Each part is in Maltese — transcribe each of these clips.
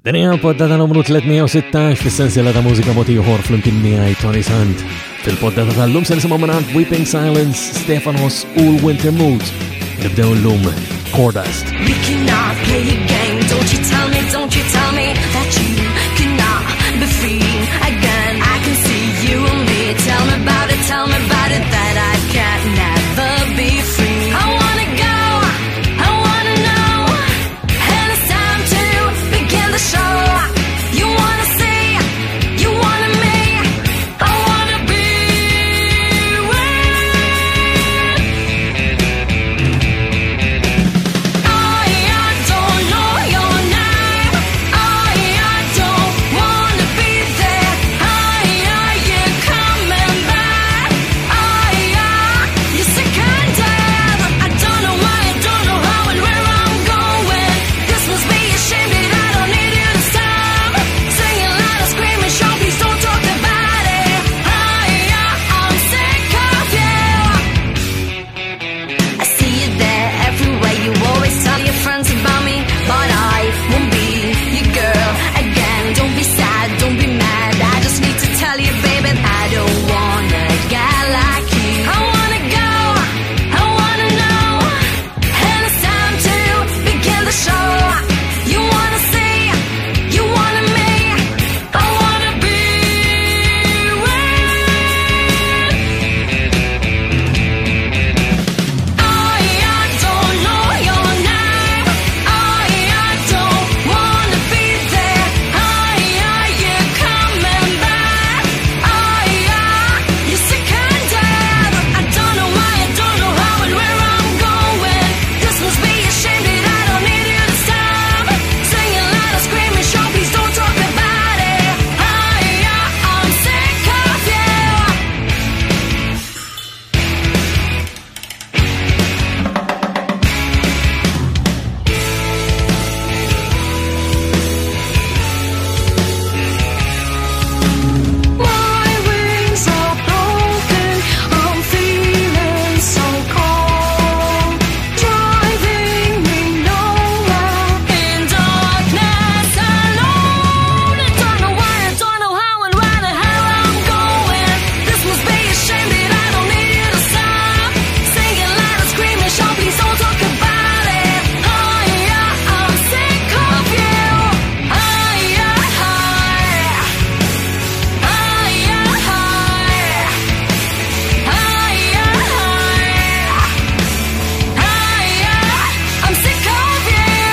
Din hija l-poddata numru 316 fis-sensiela ta' mużika mod ieħor flimkien miegħi Tony Sant. Fil-poddata tal-lum se nisimgħu mingħand Weeping Silence, Stefanos u l-Winter Moods. Nibdew llum Cordust. We cannot play a game. Don't you tell me, don't you tell me that you cannot be free again. I can see you and me. Tell me about it, tell me about it that I can never be free. I wanna go, I wanna know, and it's time to begin the show. You wanna see, you wanna me. I wanna be with. I don't know your name. I don't wanna be there. Are you coming back? You're sick and dead. I don't know why, I don't know how and where I'm going. This must be a shame that I don't need you to stop. Singing loud and screaming, show, please don't talk about it. I'm sick of you. I see you there everywhere. You always tell your friends about me, but I won't be your girl again. Don't be sad, don't be mad. I just need to tell you, baby, I don't wanna get like you. I wanna go, I wanna know, and it's time to begin the show. You wanna see, you wanna me. I wanna be with. I don't know your name. I don't wanna be there. Are you coming back? You're sick and dead. I don't know why, I don't know how and where I'm going. This must be a shame that I don't need you to stop. Singing loud and screaming, show, please don't talk about it. I'm sick of you. My wings are broken, I'm feeling so cold, driving me nowhere. In darkness alone, I don't know why, I don't know how and where the hell I'm going. This must be a shame that I don't need you to stop. Singing loud and screaming, shout, please don't talk about it. I'm sick of you. I'm sick of you.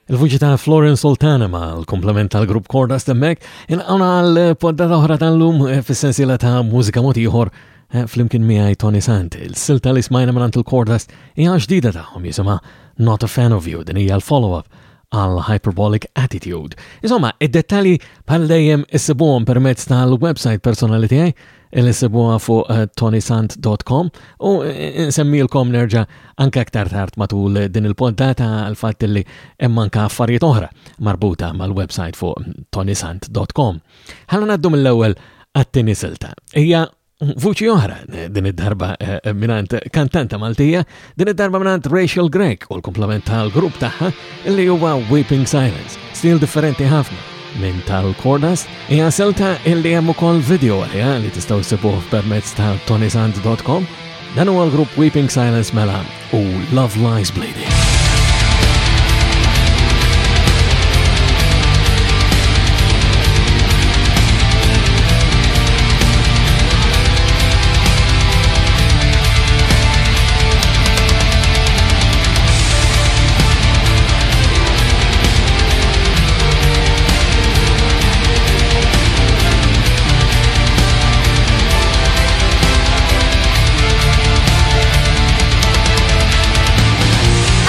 Il-vuċi ta' Florence Sultana ma' l-komplement tal-grupp Cordas Temmek inqawna għal poddata oħra tal-lum fis-sensiela ta' mużika mod ieħor flimkien miegħi Tony Sant. Il-silta li smajna mingħand il-Cordas hija ġdida tagħhom jisimha Not a Fan of You, din hija l-follow-up għal Hyperbolic Attitude. Insomma, id-dettalji bħal dejjem issibuhom permezz tal-website personali tiegħi li issibuha fuq tonysant.com u nsemmilkom nerġa' anke aktar tard matul din il-poddata għal fatt li hemm anke affarijiet oħra marbuta mal-website fuq tonysant.com. Ħalla ngħaddu mill-ewwel għat-tieni silta. Hija vuċi oħra din id-darba mingħand kantanta Maltija, din id-darba mingħand Rachel Grech u l-komplement tal-grupp tagħha li huwa Weeping Silence, stil differenti ħafna minn tal-Cordas. Hija silta illi hemm ukoll video għaliha li tistgħu ssibuh permezz ta' tonysant.com. Dan huwa l-grupp Weeping Silence mela u Love Lies Bleeding.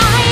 I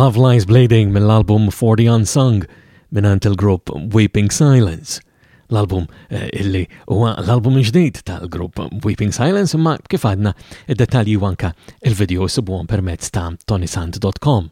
Love Lies Bleeding mill-album For the Unsung mingħand il-grupp Weeping Silence. L-album eh, illi huwa l-album ġdid tal-grupp Weeping Silence imma kif għadna id-dettalji u anka il-video sibuhom permezz ta' tonisant.com.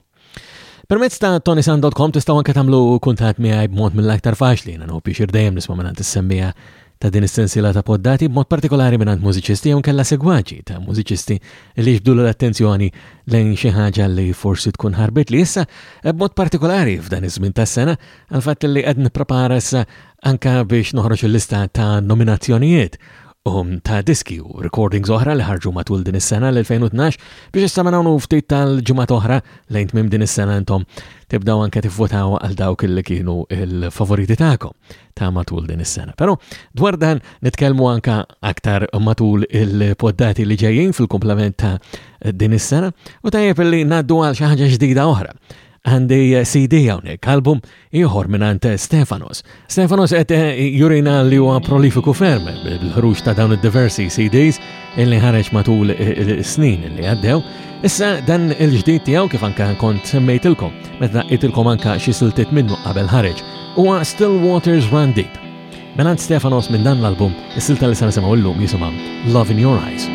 Permezz ta' tonisant.com tistgħu anke tagħmlu kuntatt miegħi b'mod mill-aktar faċli, jiena nħobb biex dejjem nisma' mingħand is-semmija ta' din is-sensiela ta' poddati b'mod partikolari mingħand mużiċisti jew nkella segwaċi ta' mużiċisti li jġbdulu l-attenzjoni lejn xi ħaġa li forsi tkun ħarbit li issa eh, b'mod partikolari f'dan iż-żmien tas-sena għal fatt li qed nipprepara issa anka biex noħroġ il-lista ta' nominazzjonijiet um, ta' diski u recordings oħra li ħarġu matul din is-sena l-2012 biex issa minn hawn ftit tal-ġimgħat oħra lejn tmiem din is-sena intom tibdaw anke tivvotaw għal dawk li kienu il-favoriti tagħkom ta' matul din is-sena. Però dwar dan nitkellmu anka aktar matul il-poddati li ġejjin fil-komplement ta' din is-sena u tajjeb li ngħaddu għal xi ħaġa ġdida oħra. Għandi CD hawnhekk, album ieħor mingħand Stefanos. Stefanos qed jurina li huwa prolifiku ferm bil-ħruġ ta' dawn id-diversi CDs illi ħareġ matul is-snin li għaddew. Issa dan il-ġdid tiegħu kif anka kont semmejtilkom meta daqqejtilkom anka xi siltiet minnu qabel ħareġ huwa Still Waters Run Deep. Menant Stefanos minn dan l-album, is-silta li se nisimgħu llum jisimha Love in Your Eyes.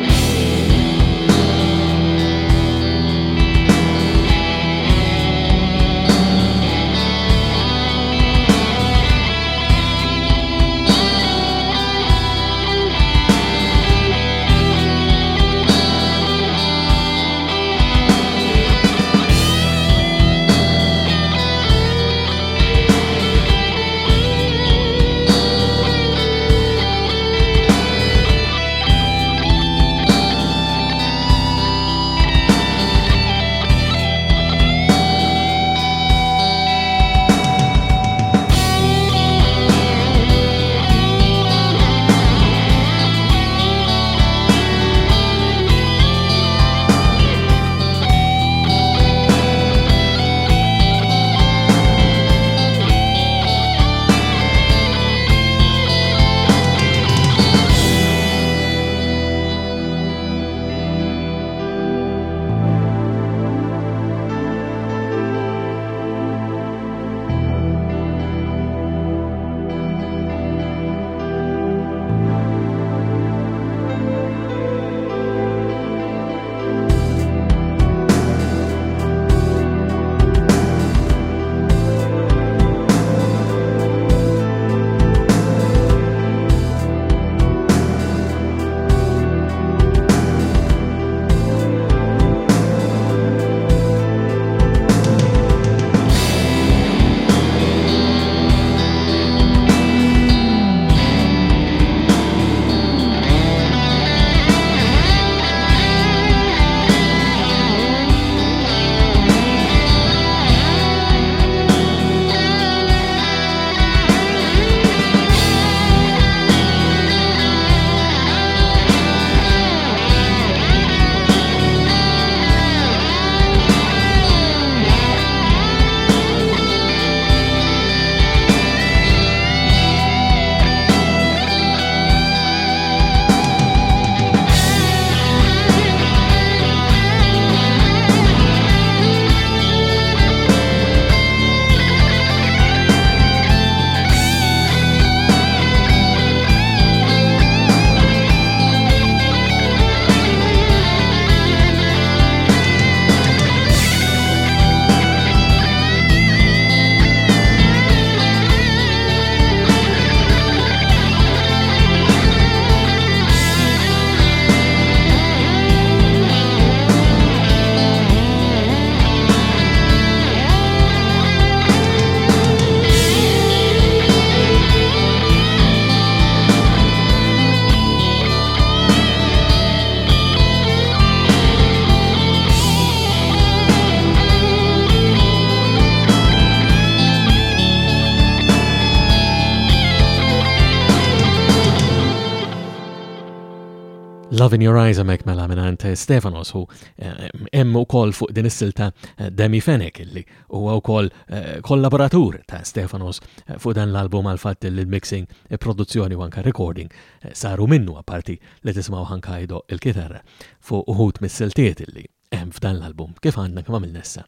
Love in Your Eyes hemmhekk mela mingħand Stefanos u eh, hemm ukoll fuq din is-silta eh, Demi Fenech illi huwa wkoll eh, kollaboratur ta' Stefanos fuq dan l-album għal fatt li l-mixing, produzzjoni u anka recording saru minnu apparti li tisimgħu anka jdoqq il-kitarra fuq uħud mis-siltiet illi hemm f'dan l-album kif għandna kemm għamilna issa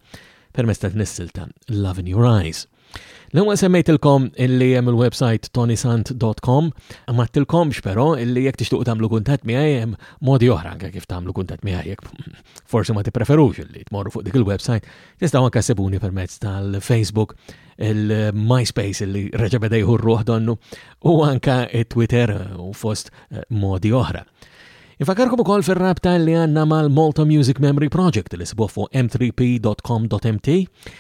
permezz ta' din is-silta Love in Your Eyes. L-ewwel semmejtilkom illi hemm il-website tonisant.com, ma tilkomx però illi jekk tixtuq tagħmlu kuntatt miegħi hemm modi oħra anke kif tagħmlu kuntatt miegħi jekk forsi ma tippreferux illi tmorru fuq dik il-website, tistgħu anke ssibuni permezz tal-Facebook, il-MySpace illi reġa' beda jieħu r-ruħ donnu u anke Twitter u fost eh, modi oħra. Infakarkom ukoll fir-rabta li għandna mal-Malta Music Memory Project li sibuh fuq m3p.com.mt.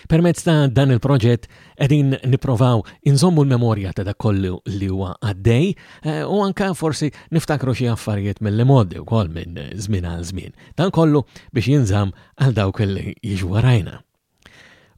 Permezz ta' dan il-proġett qegħdin nipprovaw inżommu l-memorja ta' dak kollu li huwa għaddej eh, u anka forsi niftakru xi affarijiet mill-modi wkoll minn żmien għal żmien. Dan kollu biex jinżamm għal dawk li jiġu warajna.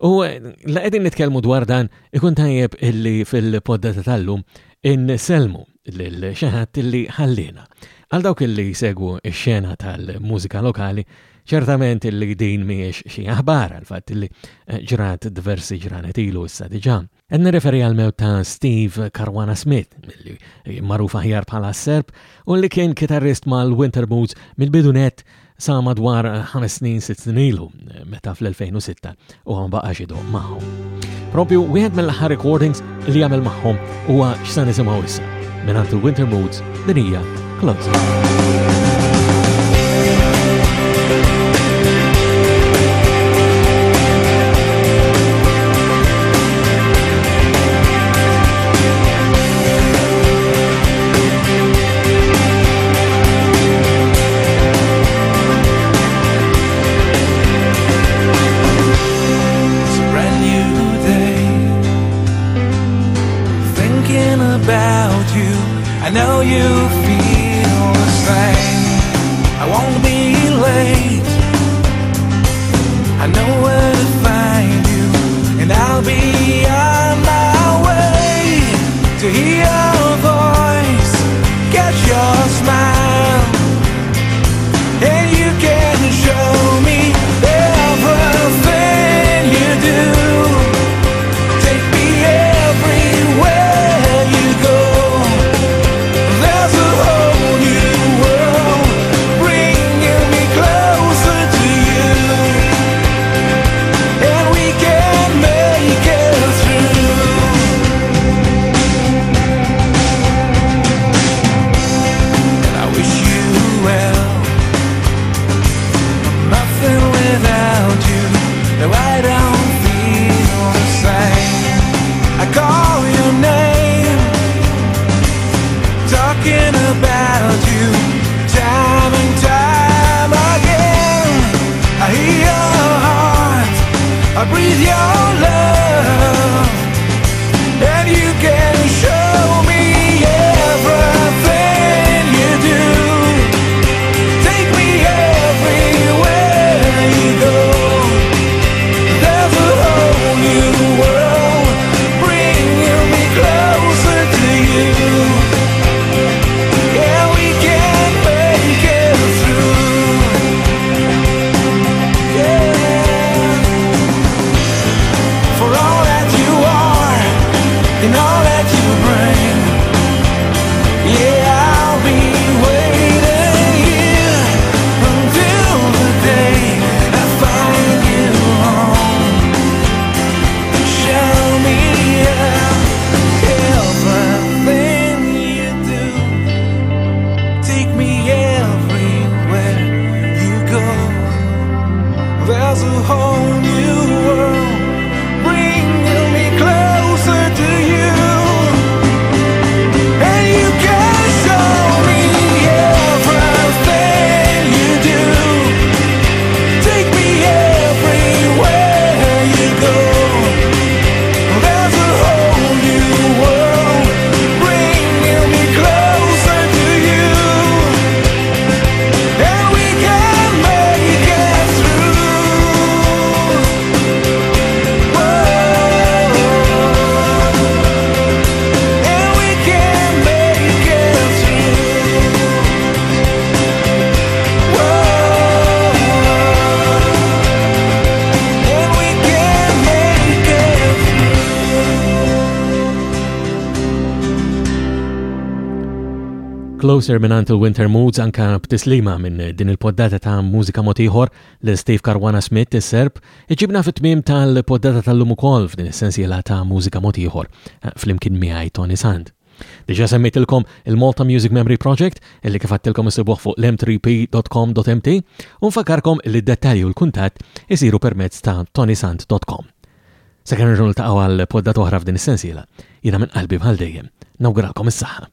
U eh, la qegħdin nitkellmu dwar dan, ikun tajjeb illi fil-poddata tal-lum inselmu lil xi ħadd illi ħallina. Għal dawk illi jsegwu x-xena tal-mużika lokali, ċertament illi din mhijiex xi aħbar għal fatt illi eh, ġrat diversi ġranet ilu issa diġà. Qed nirreferi għal mewt ta' Steve Caruana Smith, li magħruf aħjar bħala Serb, u li kien kitarrist mal-Winter Moods mill-bidu nett sa madwar ħames snin sitt snin ilu, meta fl-2006 u ma baqax idoq magħhom. Propju wieħed mill-aħħar recordings li jagħmel magħhom huwa x'sa nisimgħu issa mingħand il-Winter Moods din hija Closer. I know you feel the same. I won't be late. I know where to find you, and I'll be on my way to hear your voice, catch your smile, and you can show me everything you do. Take me everywhere you go. There's a whole new world bringing me closer to you, and we can make it through. And I wish you well. I'm nothing without you, though I don't feel the same. I call your name, talking about you time and time again. I hear your heart, I breathe your love, and you can show me everything you do. Take me everywhere you go. There's a whole new world bringing me closer to you. Yeah, we can make it through. Yeah. Closer minn il-Winter Moods anka b'tislima minn din il-poddata ta' mużika motiħor lil Steve Caruana Smith is-Serb iġibna fit-tmiem tal-poddata tal-lum ukoll f'din is-sensiela ta' mużika motiħor eh, flimkien miegħi Tony Sand. Diġa semmejtilkom il-Malta Music Memory Project illi kif għattilkom isibuh fuq l-m3p.com.mt u nfakarkom li d-dettalji u l-kuntatt isiru permezz ta' tonysant.com. Sakemm nerġgħu niltaqgħu għal poddat oħra f'din is-sensiela, jiena minn qalbi bħal dejjem nawguralkom is-saħħa.